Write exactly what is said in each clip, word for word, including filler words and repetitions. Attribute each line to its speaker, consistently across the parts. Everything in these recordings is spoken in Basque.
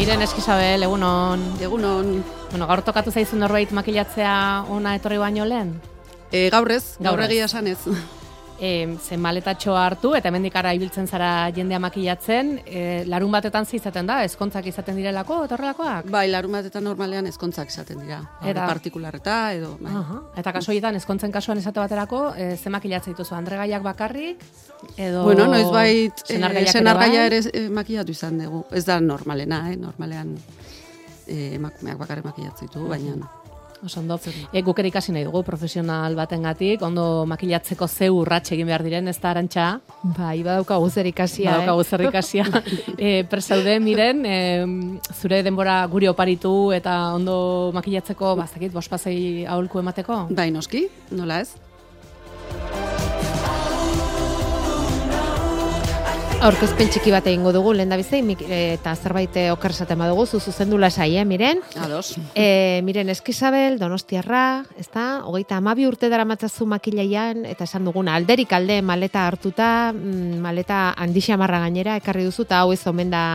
Speaker 1: Miren Eskizabel, egunon.
Speaker 2: Egunon.
Speaker 1: Bueno, gaur tokatu zaizu norbait makilatzea ona etorri baino lehen?
Speaker 2: E, gaurrez, gaur
Speaker 1: Gaurrez.
Speaker 2: egia esan ez.
Speaker 1: E, zen maletatxoa hartu eta hemendik ara ibiltzen zara jendea makilatzen, e, larun batetan izaten da, ezkontzak izaten direlako, eta horrelakoak?
Speaker 2: Bai, larun batetan normalean ezkontzak izaten dira.
Speaker 1: Eta-
Speaker 2: Partikularreta edo... Bai.
Speaker 1: Aha. Eta kaso horietan, ezkontzen kasuan esate baterako, e, ze makilatzen dituzu, andregaiak bakarrik, edo...
Speaker 2: Bueno, noiz
Speaker 1: senargaiak ere
Speaker 2: senargaia
Speaker 1: bai?
Speaker 2: ere eh, makillatu izan dugu. Ez da normalena, eh? Normalean eh, emakumeak bakarrik makillatzen ditu, baina...
Speaker 1: Oso ondo. E, guk ere ikasi nahi dugu profesional batengatik, ondo makilatzeko ze urrats egin behar diren, ez da Arantxa?
Speaker 3: Bai, badaukagu zer ikasia,
Speaker 1: Badaukagu zer ikasia. e, Presaude, miren, e, zure denbora guri oparitu eta ondo makilatzeko, bazakit, bospasei aholku emateko?
Speaker 2: Bai, noski, nola ez?
Speaker 3: Aurkezpen txiki bat egingo dugu, lehen da bizei, eta zerbait eh, oker esaten badugu, zu zuzendu lasai, eh, miren?
Speaker 2: Ados.
Speaker 3: E, miren Eskizabel, Donostiarra, ezta? Hogeita hamabi urte daramatzazu makilaian, eta esan duguna, alderik alde maleta hartuta, mm, maleta handixamarra gainera, ekarri duzu, eta hau ez omen da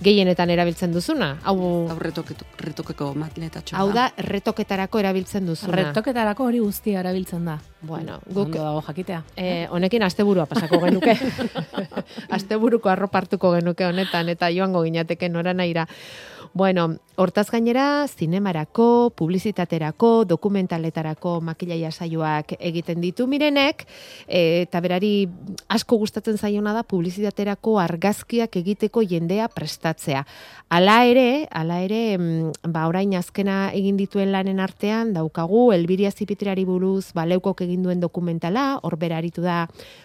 Speaker 3: gehienetan erabiltzen duzuna. Hau,
Speaker 2: Hau retoketo- retokeko matletatxoa.
Speaker 3: hau da retoketarako erabiltzen duzuna.
Speaker 1: Retoketarako hori guztia erabiltzen da.
Speaker 3: Bueno, guk
Speaker 1: Ondo dago jakitea.
Speaker 3: Eh, honekin asteburua pasako genuke. Asteburuko arropa hartuko genuke honetan eta joango ginateke nora nahira. Bueno, hortaz gainera, zinemarako, publizitaterako, dokumentaletarako makilaia saioak egiten ditu mirenek, e, eta berari asko gustatzen zaiona da publizitaterako argazkiak egiteko jendea prestatzea. Hala ere, hala ere, mm, ba orain azkena egin dituen lanen artean daukagu Elbiria Zipitriari buruz baleukok egin duen dokumentala, hor bera aritu da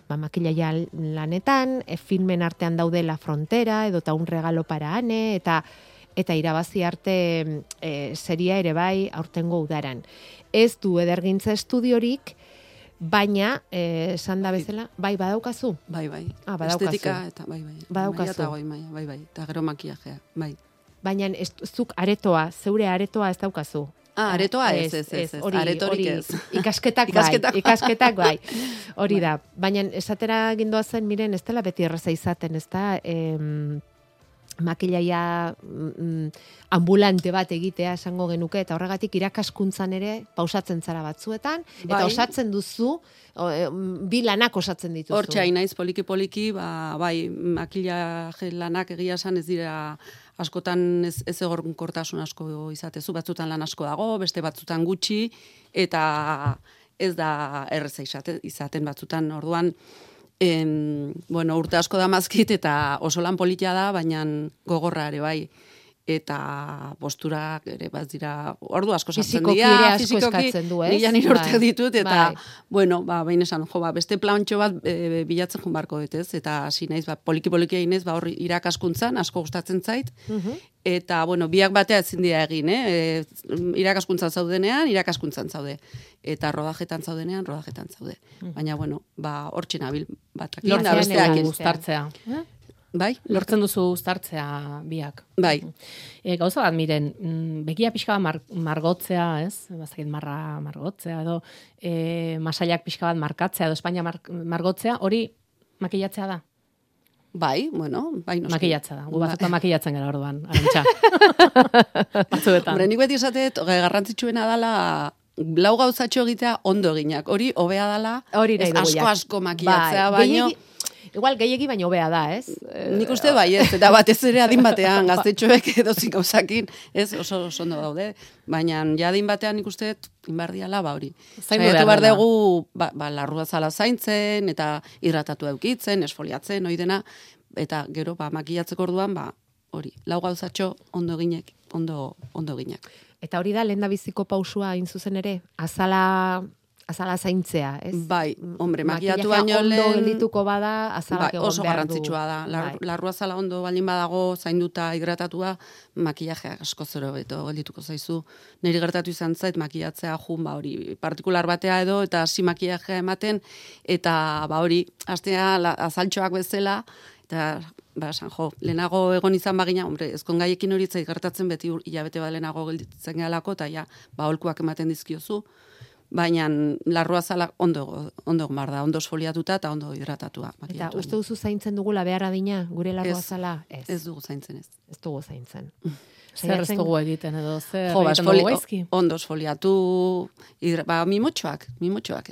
Speaker 3: ba makilaia lanetan, e, filmen artean daude La Frontera edo ta un regalo para Ane eta eta irabazi arte e, seria ere bai aurtengo udaran. Ez du edergintza estudiorik, baina eh, esan da bezala, bai badaukazu.
Speaker 2: Bai, bai.
Speaker 3: Ah, badaukazu.
Speaker 2: Estetika eta bai, bai.
Speaker 3: Badaukazu.
Speaker 2: Maila eta goi maila, bai, bai. Eta gero makillajea, bai.
Speaker 3: Baina ez, zuk aretoa, zeure aretoa ez daukazu.
Speaker 2: Ah, aretoa ez, ez, ez, ez.
Speaker 3: hori-
Speaker 2: Aretorik
Speaker 3: hori
Speaker 2: ez.
Speaker 3: Ikasketak bai,
Speaker 2: Ikasketak bai.
Speaker 3: ikasketak bai. Hori da. Baina esatera gindoa zen, miren, ez dela beti erraza izaten, ez da, em, makilaia mm, ambulante bat egitea esango genuke, eta horregatik irakaskuntzan ere pausatzen zara batzuetan, eta
Speaker 2: Bai.
Speaker 3: osatzen duzu, o, e, bi lanak osatzen dituzu.
Speaker 2: Hortxe hain naiz poliki-poliki, ba, bai, makillaje lanak egia esan ez dira askotan ez, ez egonkortasun asko izatezu, batzutan lan asko dago, beste batzutan gutxi, eta ez da erreza izaten, izaten batzutan, orduan, em, bueno, urte asko da mazkit, eta oso lan politia da, baina gogorra ere bai, eta posturak ere bat dira, ordu asko sartzen
Speaker 3: Fisikoki
Speaker 2: dira,
Speaker 3: ere asko eskatzen du, ez?
Speaker 2: Mila nire urte
Speaker 3: Bai,
Speaker 2: ditut, eta,
Speaker 3: bai.
Speaker 2: bueno, ba, behin esan, jo, ba, beste plantxo bat e, bilatzen joan barko dut, ez? Eta hasi naiz, ba, poliki-poliki egin ez, ba, hor irakaskuntzan, asko gustatzen zait,
Speaker 3: Mhm.
Speaker 2: eta, bueno, biak batea ezin dira egin, eh? E, irakaskuntzan zaudenean, irakaskuntzan zaude. Eta rodajetan zaudenean, rodajetan zaude. Baina, bueno, ba, hortxe nabil batak.
Speaker 1: Lortzen
Speaker 3: besteak
Speaker 1: duzu
Speaker 3: ez.
Speaker 1: uztartzea. Eh?
Speaker 2: Bai?
Speaker 1: Lortzen duzu uztartzea biak.
Speaker 2: Bai.
Speaker 1: E, gauza bat, miren, mm, begia pixka bat mar, margotzea, ez? Bazakit marra margotzea, edo e, masailak pixka bat markatzea, edo Espainia mar, margotzea, hori makillatzea da.
Speaker 2: Bai, bueno, bai, noski.
Speaker 1: Makillatzea da. Gu batzutan makillatzen gara orduan, Arantxa. Batzuetan.
Speaker 2: Hombre, nik beti esatet, garrantzitsuena dala lau gauzatxo egitea ondo eginak. Hori hobea dala,
Speaker 3: Hori nahi
Speaker 2: ez
Speaker 3: dugu,
Speaker 2: asko
Speaker 3: ja.
Speaker 2: asko makillatzea,
Speaker 3: Bai,
Speaker 2: baino...
Speaker 3: gehiegi- Igual gehiegi baino hobea da, ez? Eh,
Speaker 2: Nik uste bai ez, eta batez ere adin batean, gaztetxoek edozik gauzakin, ez, oso oso ondo daude, baina ja adin batean nik uste inbardiala, ba hori.
Speaker 1: Zaindu
Speaker 2: Saiatu
Speaker 1: behar
Speaker 2: behar
Speaker 1: dela.
Speaker 2: dugu, ba, ba, larrua zala zaintzen, eta hidratatu eukitzen, esfoliatzen, hori dena, eta gero, ba, makillatzeko orduan, ba, hori, lau gauzatxo ondo eginek, ondo, ondo eginak.
Speaker 3: Eta hori da lehendabiziko pausua hain zuzen ere, azala azala zaintzea, ez?
Speaker 2: Bai, hombre, makillatu
Speaker 3: Makillajea
Speaker 2: baino
Speaker 3: ondo
Speaker 2: lehen...
Speaker 3: geldituko bada, azalak
Speaker 2: Bai,
Speaker 3: egon
Speaker 2: oso
Speaker 3: behar du.
Speaker 2: garrantzitsua da. Lar,
Speaker 3: Bai.
Speaker 2: larrua zala ondo baldin badago, zainduta, hidratatua, makillajea asko zero beto geldituko zaizu. Niri gertatu izan zait, makillatzea jun, ba hori, partikular batea edo, eta hasi makillajea ematen, eta ba hori, hastea la- azaltxoak bezala, eta ba, esan jo, lehenago egon izan bagina, hombre, ezkon gaiekin hori zait gertatzen beti ur- hilabete bat lehenago gelditzen gehalako, eta ja, ba, holkuak ematen dizkiozu, baina larruazala ondo, ondo mar da, ondo esfoliatuta eta ondo hidratatua.
Speaker 3: Eta uste duzu zaintzen dugula behar adina, gure larruazala?
Speaker 2: Ez, ez dugu zaintzen ez.
Speaker 3: Ez dugu zaintzen.
Speaker 1: Zer ez dugu egiten edo, zer
Speaker 2: jo, ba,
Speaker 1: egiten
Speaker 2: esfoli,
Speaker 1: dugu gaizki?
Speaker 2: Ondo esfoliatu, hidra, ba, mimotxoak, mimotxoak,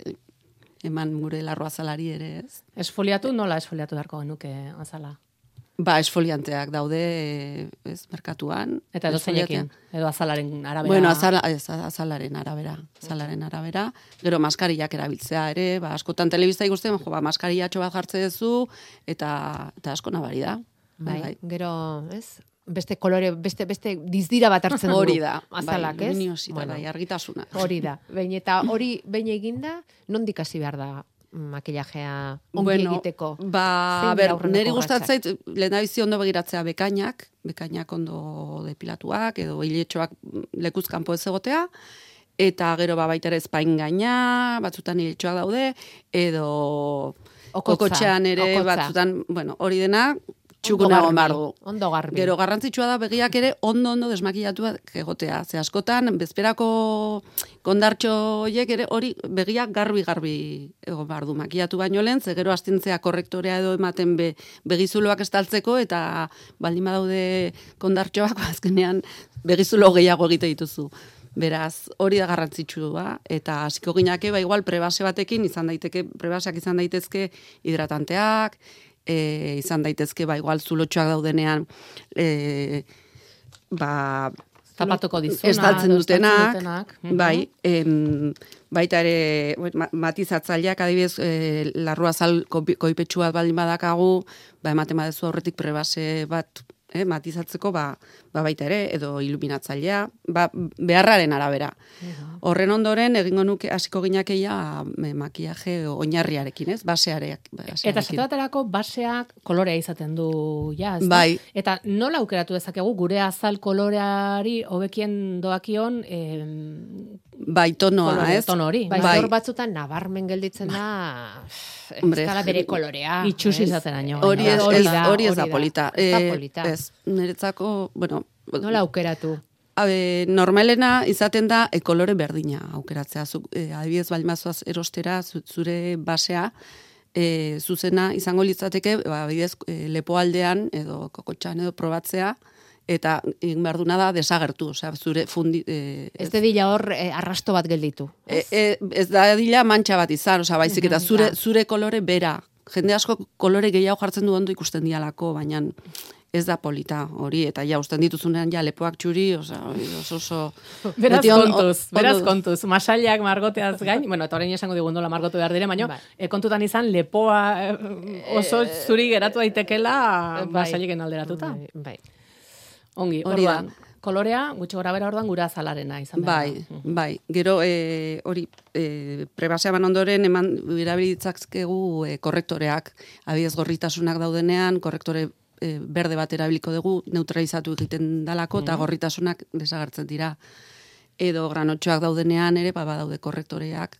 Speaker 2: eman gure larruazalari ere ez.
Speaker 1: Esfoliatu, nola esfoliatu beharko genuke azala?
Speaker 2: Ba, esfolianteak daude, ez, merkatuan.
Speaker 1: Eta edo zeinekin, edo azalaren arabera.
Speaker 2: Bueno, azala, ez, azalaren arabera, azalaren arabera. Gero maskarillak erabiltzea ere, ba, askotan telebista ikusten, jo, ba, maskarillatxo bat jartze duzu, eta, eta asko nabari da.
Speaker 3: Bai, bai. Gero, ez? Beste kolore, beste, beste dizdira bat hartzen du.
Speaker 2: Hori da,
Speaker 3: azalak,
Speaker 2: bai,
Speaker 3: ez?
Speaker 2: luminosita,
Speaker 3: Bueno,
Speaker 2: bai, argitasuna.
Speaker 3: hori da. Behin eta hori behin eginda, nondik hasi behar da makillajea ongi
Speaker 2: Bueno,
Speaker 3: egiteko?
Speaker 2: ba,
Speaker 3: Zein
Speaker 2: ber,
Speaker 3: dira aurreneko
Speaker 2: niri
Speaker 3: urratsak?
Speaker 2: gustatzait, lehendabizi ondo begiratzea bekainak, bekainak ondo depilatuak, edo hiletxoak lekuz kanpo ez egotea, eta gero ba, baita ere espain gaina, batzutan hiletxoak daude, edo
Speaker 3: Okotza,
Speaker 2: kokotxean ere,
Speaker 3: okotza.
Speaker 2: batzutan, bueno, hori dena,
Speaker 3: Ondo
Speaker 2: txukunago
Speaker 3: garbi,
Speaker 2: mardu.
Speaker 3: Ondo garbi.
Speaker 2: Gero garrantzitsua da begiak ere ondo-ondo desmakillatuak egotea. Ze askotan, bezperako kondartxo horiek ere hori begiak garbi-garbi egon behar du makillatu baino lehen, ze gero astintzea korrektorea edo ematen be, begizuloak estaltzeko, eta baldin badaude kondartxoak, ba, azkenean begizulo gehiago egite dituzu. Beraz, hori da garrantzitsua, eta hasiko ginake, ba, igual, prebase batekin, izan daiteke, prebaseak izan daitezke hidratanteak, E, izan daitezke, ba, igual zulotxoak daudenean, e, ba,
Speaker 1: Zapatuko dizuna.
Speaker 2: estaltzen
Speaker 1: edo
Speaker 2: dutenak,
Speaker 1: dutenak.
Speaker 2: bai, em, baita ere, ma- matizatzaileak, adibidez, e, larruazal koipetxu bat baldin badakagu, ba, ematen badezu aurretik prebase bat, eh, matizatzeko, ba, ba baita ere, edo iluminatzailea, ba, beharraren arabera. Horren ondoren, egingo nuke, hasiko ginakeia, me, makillaje oinarriarekin, ez? Baseareak. basearekin.
Speaker 1: Eta esate baterako baseak kolorea izaten du, ja, ez da?
Speaker 2: Bai.
Speaker 1: Eta nola aukeratu dezakegu gure azal koloreari hobekien doakion em,
Speaker 2: Bai, tonoa,
Speaker 1: kolore,
Speaker 2: ez?
Speaker 1: tono hori.
Speaker 3: Bai,
Speaker 2: Bai.
Speaker 3: hor batzutan nabarmen gelditzen da, ez
Speaker 2: Hombre,
Speaker 3: dala bere kolorea.
Speaker 1: Itxusi
Speaker 3: ez?
Speaker 1: izaten aino.
Speaker 2: Hori
Speaker 1: gainera.
Speaker 2: ez,
Speaker 3: Hori
Speaker 2: ez,
Speaker 3: da,
Speaker 2: hori ez
Speaker 3: hori
Speaker 2: da
Speaker 3: da.
Speaker 2: polita.
Speaker 3: Ez da
Speaker 2: Eh,
Speaker 3: polita.
Speaker 2: Ez, niretzako, bueno,
Speaker 3: Nola aukeratu?
Speaker 2: Abe, normalena izaten da e, kolore berdina aukeratzea. Zuk, e, adibidez, baldin bazoaz erostera, zu- zure basea, e, zuzena izango litzateke, ba, adibidez, e, lepoaldean edo kokotxan edo probatzea, eta egin behar duna da desagertu, osea, zure fundi... E,
Speaker 3: Ez de dila hor eh, arrasto bat gelditu.
Speaker 2: E, e, ez da dila mantxa bat izan, osea, baizik eta zure,
Speaker 3: da.
Speaker 2: zure kolore bera. Jende asko kolore gehiago jartzen du ondo ikusten dialako, baina ez da polita hori, eta ja, usten dituzunean ja lepoak txuri, osea, oso oso...
Speaker 1: Beraz
Speaker 2: beti on-
Speaker 1: kontuz,
Speaker 2: ondo-
Speaker 1: beraz kontuz. Masailak margoteaz gain, bueno, eta orain esango digun nola margotu behar dire, baina
Speaker 3: Bai.
Speaker 1: e, kontutan izan lepoa eh, oso zuri geratu daitekela
Speaker 3: bai.
Speaker 1: masailiken alderatuta.
Speaker 3: Bai, bai.
Speaker 1: Ongi,
Speaker 2: Hori da.
Speaker 1: orduan, kolorea, gutxi gora bera orduan gure azalarena izan behar
Speaker 2: Bai,
Speaker 1: da.
Speaker 2: bai. Gero, e, hori, e, prebasea ban ondoren, eman erabilitzakegu e, korrektoreak, adibidez gorritasunak daudenean, korrektore e, berde bat erabiliko dugu, neutralizatu egiten dalako, eta gorritasunak desagertzen dira. Edo granotxoak daudenean ere, ba, badaude korrektoreak,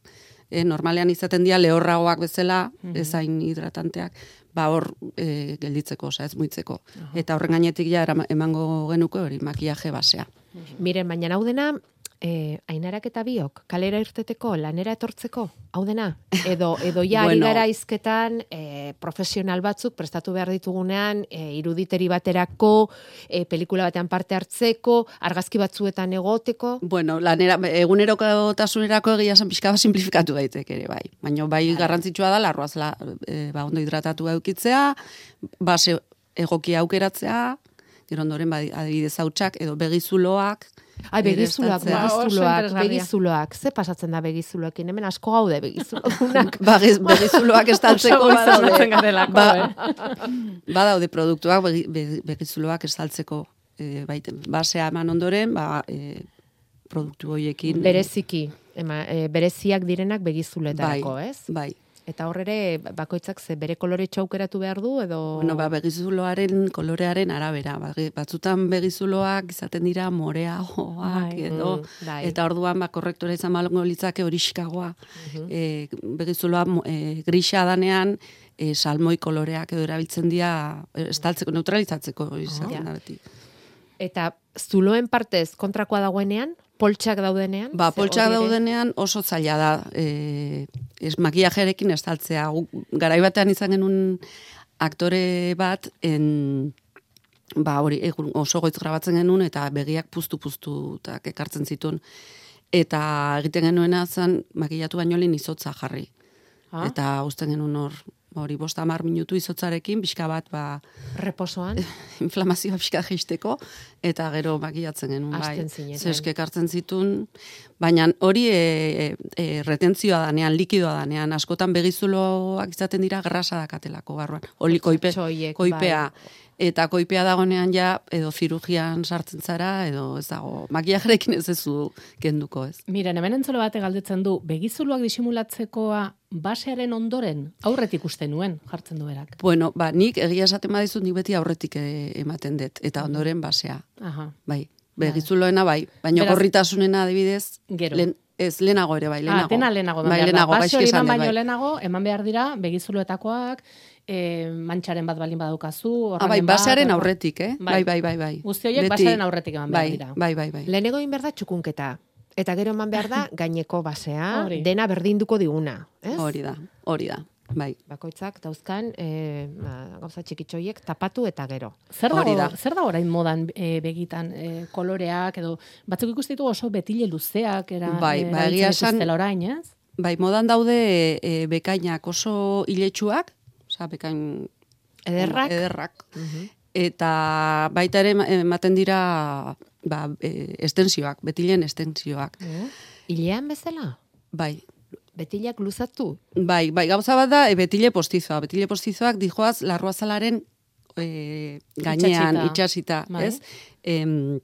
Speaker 2: e, normalean izaten dira lehorragoak bezala, ezain hidratanteak, ba hor e, gelditzeko, osea, ez muitzeko. Eta horren gainetik ja erama- emango genuko hori makillaje basea.
Speaker 3: Miren, baina hau dena, eh, Ainarak eta biok, kalera irteteko, lanera etortzeko, hau dena? Edo, edo ja ari
Speaker 2: Bueno.
Speaker 3: gara izketan eh, profesional batzuk prestatu behar ditugunean, eh, iruditeri baterako, eh, pelikula batean parte hartzeko, argazki batzuetan egoteko.
Speaker 2: Bueno, lanera, egunerokotasunerako egia esan pixka bat simplifikatu daiteke ere, bai. Baina bai garrantzitsua da, larruaz la, e, ba, ondo hidratatu eukitzea, base egokia aukeratzea, gero ondoren ba, adibidez hautsak edo begizuloak.
Speaker 3: Ai,
Speaker 2: ere
Speaker 3: begizuloak,
Speaker 2: estaltzea.
Speaker 1: Ba, oso
Speaker 3: begizuloak,
Speaker 1: interesgarria.
Speaker 3: begizuloak. Ze pasatzen da begizuloekin? Hemen asko gaude begizuloak.
Speaker 2: Ba, giz- begizuloak estaltzeko
Speaker 1: Oso
Speaker 2: badaude.
Speaker 1: goizatzen garelako,
Speaker 2: Ba,
Speaker 1: eh?
Speaker 2: badaude produktuak begi, be- begizuloak estaltzeko. E, baite, basea eman ondoren, ba, e, produktu horiekin.
Speaker 3: Bereziki, ema, e, bereziak direnak begizuletarako,
Speaker 2: bai,
Speaker 3: ez?
Speaker 2: Bai.
Speaker 3: Eta horrere bakoitzak ze bere kolore aukeratu behar du edo
Speaker 2: Bueno, ba, begizuloaren kolorearen arabera. Ba, ge- batzutan begizuloak izaten dira moreagoak
Speaker 1: Bai,
Speaker 2: edo,
Speaker 3: mm, bai.
Speaker 2: eta orduan ba, korrektora izan malongo litzake horixkagoa. e, begizuloa mo- e, grisa danean, e, salmoi koloreak edo erabiltzen dira e, estaltzeko, neutralizatzeko izan
Speaker 3: ja.
Speaker 2: da beti.
Speaker 3: Eta zuloen partez kontrakoa dagoenean, poltsak daudenean?
Speaker 2: Ba,
Speaker 3: Ze
Speaker 2: poltsak
Speaker 3: hori ere-
Speaker 2: daudenean oso zaila da. E, ez makillajearekin estaltzea. Garai batean izan genuen aktore bat, en, ba, hori, egun oso goitz grabatzen genuen, eta begiak puztu-puztu ekartzen zituen. Eta egiten genuena zen, makillatu baino lehen izotza jarri.
Speaker 3: Ah.
Speaker 2: Eta usten genuen hor, hori bosta hamar minutu izotzarekin, pixka bat, ba,
Speaker 3: Reposoan?
Speaker 2: inflamazioa pixka jeisteko, eta gero makillatzen genuen, bai.
Speaker 3: Hasten zineten.
Speaker 2: Zeske ekartzen zituen, baina hori e, e, retentzioa danean, likidoa danean, askotan begizuloak izaten dira grasa dakatelako barruan. Oli koipe,
Speaker 3: Txoiek,
Speaker 2: koipea.
Speaker 3: bai.
Speaker 2: Eta koipea dagoenean ja, edo zirugian sartzen zara, edo ez dago, makillajerekin ez ezu kenduko, ez.
Speaker 1: Miren, hemen entzole bate galdetzen du, begizuluak disimulatzekoa basearen ondoren aurretik uste nuen, jartzen du berak.
Speaker 2: Bueno, ba, nik egia esaten badizut, nik beti aurretik e, ematen dut, eta ondoren basea.
Speaker 1: Aha.
Speaker 2: Bai, begizuloena bai, baina
Speaker 1: Beraz-
Speaker 2: gorritasunena adibidez,
Speaker 1: Gero.
Speaker 2: lehen- ez lehenago ere bai, lehenago.
Speaker 1: Ah, dena lehenago eman
Speaker 2: bai,
Speaker 1: behar da.
Speaker 2: lehenago,
Speaker 1: Base
Speaker 2: gaizki
Speaker 1: hori
Speaker 2: esan
Speaker 1: eman
Speaker 2: dut,
Speaker 1: baino
Speaker 2: bai.
Speaker 1: lehenago, eman behar dira, begizuloetakoak, e, mantxaren bat balin badukazu,
Speaker 2: Ah, bai,
Speaker 1: orramen bat,
Speaker 2: basearen
Speaker 1: orra-
Speaker 2: aurretik, eh? Bai, bai, bai, bai.
Speaker 1: Guzti horiek
Speaker 2: Beti-
Speaker 1: basearen aurretik eman behar
Speaker 2: bai,
Speaker 1: dira.
Speaker 2: Bai, bai, bai.
Speaker 3: Lehenego egin behar da txukunketa. Eta gero eman behar da gaineko basea,
Speaker 1: Hori.
Speaker 3: dena berdinduko diguna. Ez?
Speaker 2: Hori da, hori da. Bai.
Speaker 3: Bakoitzak dauzkan e, gauza txikitxoiek tapatu eta gero.
Speaker 1: Zer
Speaker 2: Hori
Speaker 1: dago,
Speaker 2: da.
Speaker 1: zer da orain modan e, begitan e, koloreak edo batzuk ikusten ditugu oso betile luzeak era
Speaker 2: Bai,
Speaker 1: e,
Speaker 2: ba,
Speaker 1: erabiltzen
Speaker 2: egia esan-
Speaker 1: dituztela orain, ez?
Speaker 2: Bai, modan daude e, bekainak oso iletsuak, osea, bekain
Speaker 3: Ederrak?
Speaker 2: ederrak. Eta baita ere ematen dira ba, e, estensioak, betilen estensioak.
Speaker 3: Eh? Ilean bezala?
Speaker 2: Bai,
Speaker 3: Betilak luzatu?
Speaker 2: bai, bai, gauza bat da, e, betile postizoa. Betile postizoak dijoaz larruazalaren e, gainean,
Speaker 1: Itxasita.
Speaker 2: itxasita,
Speaker 1: Bai.
Speaker 2: ez? Em,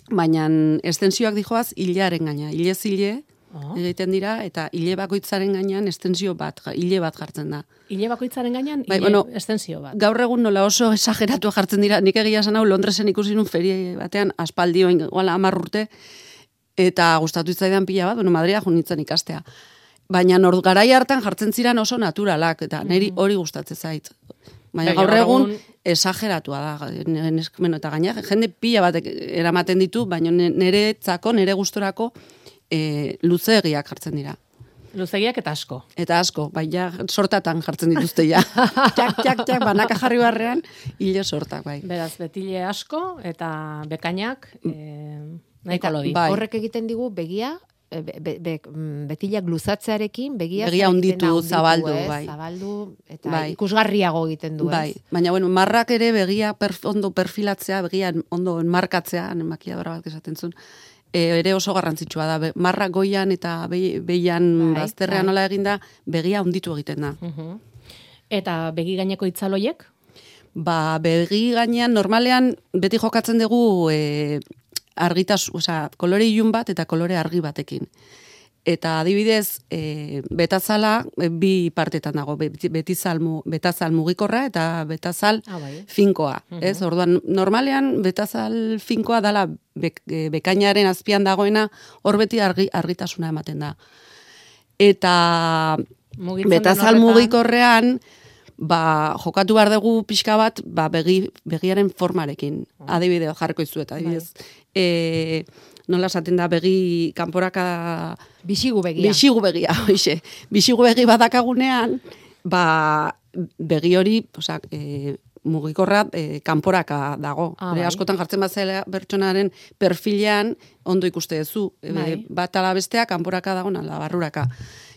Speaker 2: baina estensioak dijoaz hilearen gaina, hilez hile
Speaker 1: Oh.
Speaker 2: egiten dira, eta hile bakoitzaren gainean estensio bat, ja- hile bat jartzen da.
Speaker 1: Ile bakoitzaren gainean,
Speaker 2: Bai,
Speaker 1: ile
Speaker 2: bueno,
Speaker 1: estensio bat.
Speaker 2: Gaur egun nola oso exageratu jartzen dira, nik egia esan hau Londresen ikusi nun ferie batean, aspaldi oin, igual hamar urte, eta gustatu itzaidan pila bat, bueno, Madria jo nintzen ikastea. Baina nor garai hartan jartzen ziren oso naturalak, eta niri hori gustatzen zait. Baina
Speaker 1: Baina
Speaker 2: gaur
Speaker 1: gaur
Speaker 2: egun
Speaker 1: egun-
Speaker 2: exageratua da, bueno, eta gaina jende pila batek eramaten ditu, baina niretzako, nire gustorako e, luzeegiak jartzen dira.
Speaker 1: Luzegiak eta asko.
Speaker 2: Eta asko, bai ja, sortatan jartzen dituzte ja. txak, txak, txak, banaka jarri barrean, hile sortak, bai.
Speaker 1: Beraz, betile asko eta bekainak e, nahiko
Speaker 3: Eta
Speaker 1: lodi.
Speaker 2: bai.
Speaker 3: horrek egiten digu begia, e, be, be, be, mm, betilak luzatzearekin, begia,
Speaker 2: Begia
Speaker 3: zer
Speaker 2: hunditu,
Speaker 3: egiten da?
Speaker 2: zabaldu,
Speaker 3: ez?
Speaker 2: bai.
Speaker 3: Zabaldu, eta
Speaker 2: Bai.
Speaker 3: ikusgarriago egiten du, ez?
Speaker 2: Bai, baina bueno, marrak ere begia perf, ondo perfilatzea, begia ondo enmarkatzea, makiadora bat esaten zuen, e, ere oso garrantzitsua da. Be, marrak goian eta be, behian
Speaker 3: Bai,
Speaker 2: bazterrean
Speaker 3: bai.
Speaker 2: nola eginda, begia hunditu egiten da.
Speaker 1: Mhm. Eta begi gaineko itzaloiek?
Speaker 2: Ba, begi gainean, normalean, beti jokatzen dugu e, argitas, osea, kolore ilun bat eta kolore argi batekin. Eta adibidez, e, betazala e, bi partetan dago, beti- betizal, mu- betazal mugikorra eta betazal
Speaker 1: Ah, bai.
Speaker 2: finkoa. Ez? Orduan, normalean, betazal finkoa dala bek, e, bekainaren azpian dagoena, hor beti argi, argitasuna ematen da. Eta
Speaker 1: Mugitzen den
Speaker 2: betazal
Speaker 1: horretan-
Speaker 2: mugikorrean, ba, jokatu behar dugu pixka bat, ba, begi, begiaren formarekin. Adibideo jarriko izuet, adibidez. E, nola esaten da begi kanporaka
Speaker 3: Bixigu begia.
Speaker 2: bixigu begia, hoixe. Bixigu begi badakagunean, ba, begi hori, osea, e, mugikorra e, kanporaka dago.
Speaker 1: Ah,
Speaker 2: Hore,
Speaker 1: bai.
Speaker 2: askotan jartzen bazela pertsonaren perfilean ondo ikuste duzu. E,
Speaker 1: Bai.
Speaker 2: bat ala bestea kanporaka dago, ala barruraka.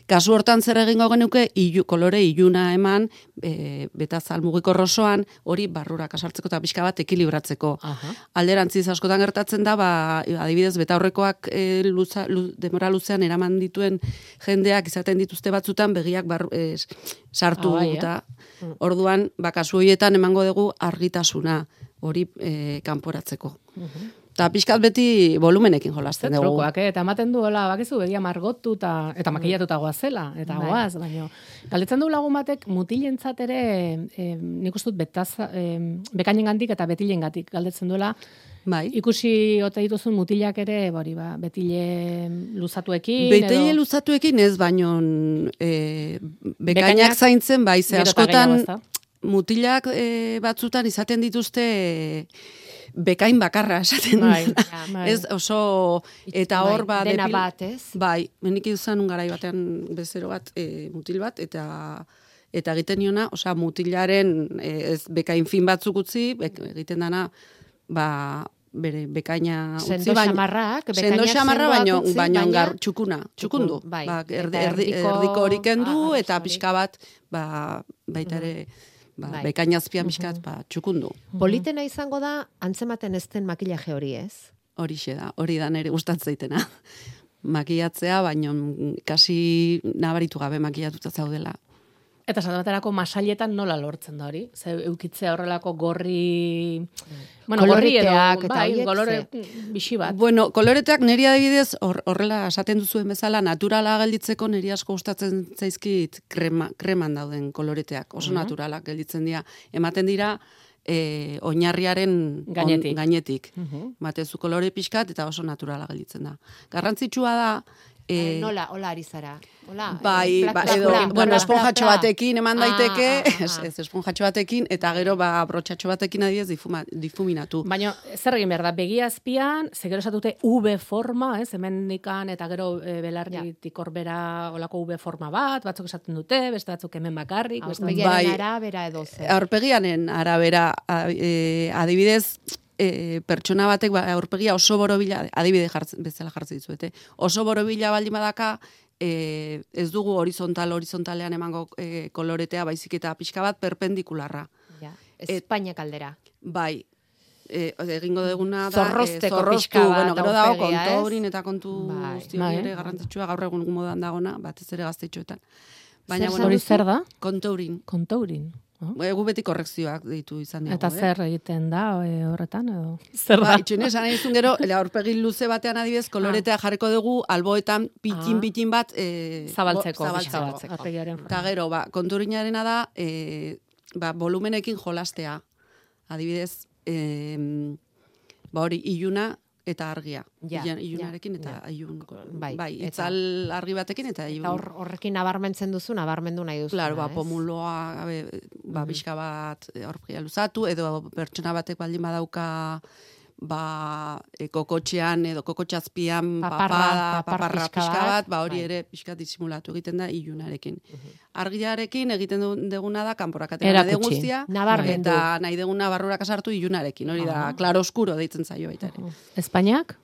Speaker 2: Kasu hortan zer egingo genuke, ilu, kolore iluna eman, e, betazal mugikor osoan, hori barruraka sartzeko eta pixka bat ekilibratzeko.
Speaker 1: Aha.
Speaker 2: Alderantziz askotan gertatzen da, ba, adibidez, betaurrekoak e, luza, lu, demora luzean eraman dituen jendeak izaten dituzte batzutan begiak bar, e, sartu
Speaker 1: Ah, bai, eh?
Speaker 2: eta orduan, ba, kasu horietan emango dugu argitasuna hori e, kanporatzeko. Eta pixkat beti volumenekin jolasten
Speaker 1: Zer
Speaker 2: dugu.
Speaker 1: trukoak, eh? Eta ematen duela, bakizu, begia margotu eta, eta makillatuta goazela, eta
Speaker 3: Bai.
Speaker 1: goaz, baina galdetzen du lagun batek mutilentzat ere, eh, nik uste dut betaza, eh, bekainengandik eta betilengatik galdetzen duela,
Speaker 2: Bai.
Speaker 1: ikusi ote dituzun mutilak ere, hori ba, betile luzatuekin,
Speaker 2: Betile
Speaker 1: edo...
Speaker 2: luzatuekin ez, baino e, bekainak,
Speaker 1: Bekainak
Speaker 2: zaintzen, bai, ze
Speaker 1: gero eta
Speaker 2: askotan
Speaker 1: gehiago, ezta?
Speaker 2: mutilak e, batzutan izaten dituzte bekain bakarra esaten
Speaker 1: Bai,
Speaker 2: dut.
Speaker 1: bai.
Speaker 2: Ez oso, eta hor, ba,
Speaker 3: dena
Speaker 2: depil-
Speaker 3: bat, ez?
Speaker 2: Bai, menik izan un garai batean bezero bat, e, mutil bat, eta eta egiten niona, osea, mutilaren e, ez bekain fin batzuk utzi, bek, egiten dana, ba, bere bekaina utzi,
Speaker 3: Sendo
Speaker 2: baina-
Speaker 3: xamarrak,
Speaker 2: Sendo
Speaker 3: bekainak
Speaker 2: xamarra,
Speaker 3: sendoak
Speaker 2: baino,
Speaker 3: utzi,
Speaker 2: baino
Speaker 3: baina-
Speaker 2: gar, txukuna, txukundu.
Speaker 3: Txukun, bai.
Speaker 2: Ba, erdi,
Speaker 3: Eta
Speaker 2: erdi,
Speaker 3: erdiko-
Speaker 2: erdiko hori kendu,
Speaker 3: Ah,
Speaker 2: eta
Speaker 3: hori.
Speaker 2: pixka bat, ba, baita ere, ba,
Speaker 3: Bai.
Speaker 2: bekaina azpian pixka bat, ba, txukundu.
Speaker 3: Politena izango da, antzematen ez den makillaje hori, ez?
Speaker 2: Horixe da, hori da nire gustatzeitena. Makiatzea, baino kasi nabaritu gabe makiatuta zaudela.
Speaker 1: Eta esate baterako masailetan nola lortzen da hori? Ze eukitzea horrelako gorri... Bueno, gorri edo,
Speaker 3: Koloriteak eta
Speaker 1: bai,
Speaker 3: horiek,
Speaker 1: kolore
Speaker 3: ze-
Speaker 1: bixi bat.
Speaker 2: Bueno, koloreteak niri adibidez, hor- horrela esaten duzuen bezala, naturala gelditzeko niri asko gustatzen zaizkit krema, kreman dauden koloreteak, oso naturalak gelditzen dira. Ematen dira, e, oinarriaren on-
Speaker 1: Gainetik.
Speaker 2: gainetik.
Speaker 1: Mhm.
Speaker 2: Matezu kolore pixkat eta oso naturala gelditzen da. Garrantzitsua da,
Speaker 3: Eh,
Speaker 2: e,
Speaker 3: nola, hola ari zara. Hola,
Speaker 2: Bai,
Speaker 3: eh, plak,
Speaker 2: ba,
Speaker 3: plak,
Speaker 2: edo,
Speaker 3: plak,
Speaker 2: bueno,
Speaker 3: plak,
Speaker 2: esponjatxo
Speaker 3: plak, plak.
Speaker 2: batekin eman
Speaker 3: Ah,
Speaker 2: daiteke,
Speaker 3: ah, ah,
Speaker 2: ez,
Speaker 3: ah.
Speaker 2: ez esponjatxo batekin, eta gero, ba, brotxatxo batekin adibidez difuma, difuminatu.
Speaker 1: Baina, zer egin behar da, begi azpian, ze gero esatute V forma, ez, hemen nikan, eta gero e, belarritik horbera olako V forma bat, batzuk esaten dute, beste batzuk hemen bakarrik, beste batzuk...
Speaker 3: Aurpegiaren
Speaker 2: Bai.
Speaker 3: arabera edo zer.
Speaker 2: Aurpegianen arabera, a- e, adibidez, e, pertsona batek ba, aurpegia oso borobila, adibide jartzen, bezala jartzen dizuete, oso borobila baldin badaka, e, ez dugu horizontal, horizontalean emango e, koloretea, baizik eta pixka bat perpendikularra.
Speaker 3: Ja. Espainia kaldera.
Speaker 2: Bai, e, egingo deguna da,
Speaker 3: Zorrozteko
Speaker 2: e, zorroztu,
Speaker 3: pixka bat
Speaker 2: bueno, gero dago
Speaker 3: aurpegia, ez?
Speaker 2: kontourin eta kontu
Speaker 3: Bai.
Speaker 2: guzti
Speaker 1: Bai.
Speaker 2: hori ere garrantzitsua gaur egun modan dagona, batez ere gaztetxoetan.
Speaker 1: Zer
Speaker 2: bueno,
Speaker 1: hori zer da?
Speaker 2: kontourin.
Speaker 1: Kontourin. Oh.
Speaker 2: Egu beti korrekzioak deitu izan dira.
Speaker 1: Eta zer egiten da e, horretan, edo? Zer
Speaker 2: Ba,
Speaker 1: da?
Speaker 2: itxune esan nahi zuen gero, aurpegi luze batean adibidez, koloretea jarriko dugu, alboetan pitin-pitin bat e,
Speaker 1: Zabaltzeko,
Speaker 2: bo-
Speaker 1: pixka bat, aurpegiaren
Speaker 2: Eta gero, ba, konturinarena da, e, ba, volumenekin jolastea. Adibidez, e, ba hori, iluna eta argia.
Speaker 3: Ja,
Speaker 2: Ilan- ilunarekin eta
Speaker 3: ja.
Speaker 2: ilun.
Speaker 3: Bai,
Speaker 2: Bai,
Speaker 3: eta-
Speaker 2: itzal argi batekin eta ilun.
Speaker 3: Eta hor, horrekin nabarmentzen duzu, nabarmendu nahi duzu.
Speaker 2: Claro, ba, pomuloa, gabe, ba, pixka bat e, aurpegia luzatu, edo pertsona batek baldin badauka ba, e, kokotxean edo kokotxazpian
Speaker 3: Paparra,
Speaker 2: papada,
Speaker 3: papar
Speaker 2: paparra
Speaker 3: pixka
Speaker 2: pixka
Speaker 3: bat,
Speaker 2: bat, ba, hori
Speaker 3: bai.
Speaker 2: ere pixka disimulatu egiten da ilunarekin. Argiarekin egiten du- duguna da kanporakatera
Speaker 1: Erakutsi.
Speaker 2: nahi guztia,
Speaker 3: Nabarmendu.
Speaker 2: eta nahi duguna barrurak sartu ilunarekin, hori da, klaro oskuro deitzen zaio baita ere.
Speaker 1: Espainiak?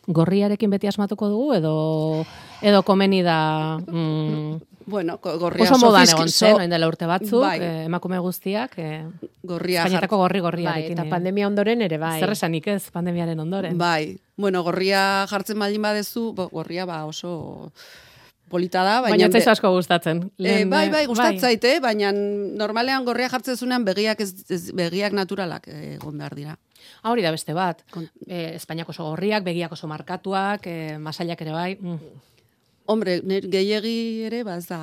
Speaker 1: Gorriarekin beti asmatuko dugu, edo edo komeni da... Mm,
Speaker 2: Bueno, ko- gorria
Speaker 1: oso modan
Speaker 2: sofizki-
Speaker 1: egon
Speaker 2: so-
Speaker 1: zen, orain dela urte batzuk,
Speaker 2: bai.
Speaker 1: eh, emakume guztiak, eh,
Speaker 2: gorria
Speaker 1: Espainiatako gorri
Speaker 3: Bai,
Speaker 1: gorriarekin.
Speaker 3: eta
Speaker 1: eh.
Speaker 3: pandemia ondoren ere bai.
Speaker 1: Zer esanik ez, pandemiaren ondoren.
Speaker 2: Bai, bueno, gorria jartzen baldin badezu, bo, gorria ba oso polita da, baina...
Speaker 1: Baina ez
Speaker 2: be-
Speaker 1: zaizu asko gustatzen.
Speaker 2: E,
Speaker 1: Lehen,
Speaker 2: bai,
Speaker 1: eh,
Speaker 2: bai, gustatzait, eh? Baina normalean gorria jartzen zunean begiak, ez, ez, begiak naturalak eh, egon behar dira.
Speaker 1: Ah, hori da beste bat.
Speaker 2: Kon-
Speaker 1: Eh, Espainiak oso gorriak, begiak oso markatuak, eh, masailak ere bai. Mm.
Speaker 2: Hombre, nire gehiegi ere, ba ez da...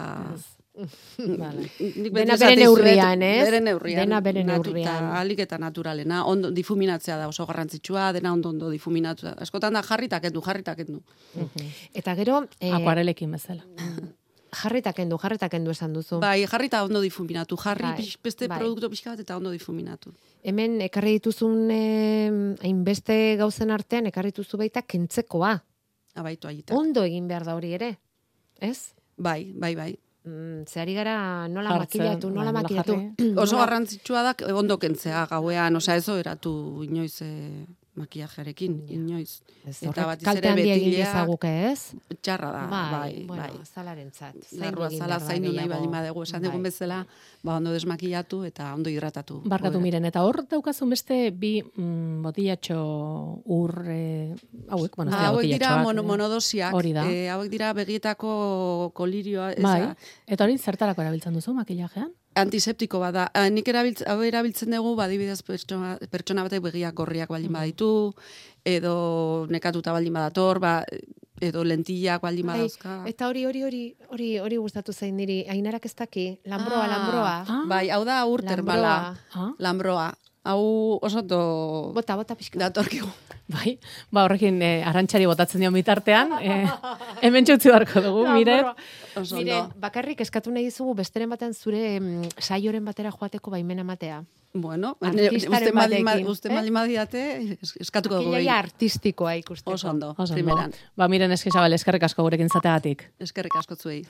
Speaker 1: Vale.
Speaker 2: Nik beti
Speaker 3: Dena
Speaker 2: esaten
Speaker 3: bere
Speaker 2: dizuet,
Speaker 3: neurrian, ez?
Speaker 2: Bere neurrian.
Speaker 3: Dena bere
Speaker 2: Natu-
Speaker 3: neurrian.
Speaker 2: eta ahalik eta naturalena. Ondo, difuminatzea da oso garrantzitsua, dena ondo ondo difuminatzea. Askotan da jarritak endu, jarritak endu.
Speaker 3: Eta gero, eh,
Speaker 1: Akuarelekin bezala.
Speaker 3: jarrita kendu, jarrita kendu esan duzu.
Speaker 2: Bai, jarrita ondo difuminatu. Jarri
Speaker 3: Bai,
Speaker 2: pix- beste
Speaker 3: bai.
Speaker 2: produktu pixka bat eta ondo difuminatu.
Speaker 3: Hemen ekarri dituzun eh, hainbeste gauzen artean ekarri dituzu baita kentzekoa.
Speaker 2: Abaitu aita.
Speaker 3: Ondo egin behar da hori ere. Ez?
Speaker 2: Bai, bai, bai.
Speaker 3: Mm, zehari gara nola
Speaker 1: Jartzen,
Speaker 3: makillatu, nola
Speaker 1: bai, nola
Speaker 3: makillatu.
Speaker 1: jarri.
Speaker 2: Oso
Speaker 3: Nola-
Speaker 2: garrantzitsua da ondo kentzea gauean, osea ez eratu inoiz e, makiajearekin, inoiz.
Speaker 3: Ez,
Speaker 2: Eta
Speaker 3: horrek
Speaker 2: batez
Speaker 3: kalte
Speaker 2: ere
Speaker 3: handia egin
Speaker 2: betileak
Speaker 3: dezaguke, ez?
Speaker 2: txarra da, bai, bai.
Speaker 3: bueno, zalarentzat. Zaindu
Speaker 2: Larrua
Speaker 3: egin
Speaker 2: zala
Speaker 3: behar da
Speaker 2: zaindu nahi
Speaker 3: gehiago.
Speaker 2: baldin badegu, esan
Speaker 3: Bai.
Speaker 2: dugun bezala, ba ondo desmakillatu eta ondo hidratatu.
Speaker 1: Barkatu
Speaker 2: Goera.
Speaker 1: miren, eta hor daukazun beste bi mm, botillatxo ur eh, hauek, bueno, ez
Speaker 2: Ah,
Speaker 1: dira
Speaker 2: hauek dira
Speaker 1: botillatxoak,
Speaker 2: mono,
Speaker 1: eh.
Speaker 2: monodosiak,
Speaker 1: Hori da.
Speaker 2: eh, hauek dira begietako kolirioa, ez
Speaker 1: Bai,
Speaker 2: da,
Speaker 1: eta hori zertarako erabiltzen duzu makillajean?
Speaker 2: antiseptiko bada. Ah, nik erabiltz, hau erabiltzen dugu, badibidez pertsona, pertsona batek begiak gorriak baldin baditu, edo nekatuta baldin badator, ba, edo lentillak baldin
Speaker 3: Bai,
Speaker 2: badauzka.
Speaker 3: eta hori, hori, hori, hori, hori gustatu zain niri, Ainarak ez daki, lambroa,
Speaker 2: Ah,
Speaker 3: lambroa.
Speaker 1: Ah.
Speaker 2: Bai, hau da ur termala.
Speaker 3: Lambroa.
Speaker 1: Ah?
Speaker 2: Lambroa. Hau oso do...
Speaker 3: Bota, bota pixka.
Speaker 2: Datorkigu.
Speaker 1: Bai, ba horrekin e, arantxari botatzen dio bitartean, e, hemen txutzi barko dugu, miren.
Speaker 3: Miren, bakarrik eskatu nahi dizugu besteren batean zure mm, saioren batera joateko baimena matea.
Speaker 2: Bueno,
Speaker 3: Artistaren batekin,
Speaker 2: uste mali madiate, eskatuko dugu.
Speaker 3: Akilaia artistikoa ikusteko.
Speaker 2: Oso ondo,
Speaker 1: Oso ondo.
Speaker 2: primeran.
Speaker 1: Ba, miren eski zabal, eskerrik asko gurekin zateagatik.
Speaker 2: Eskerrik asko zuei.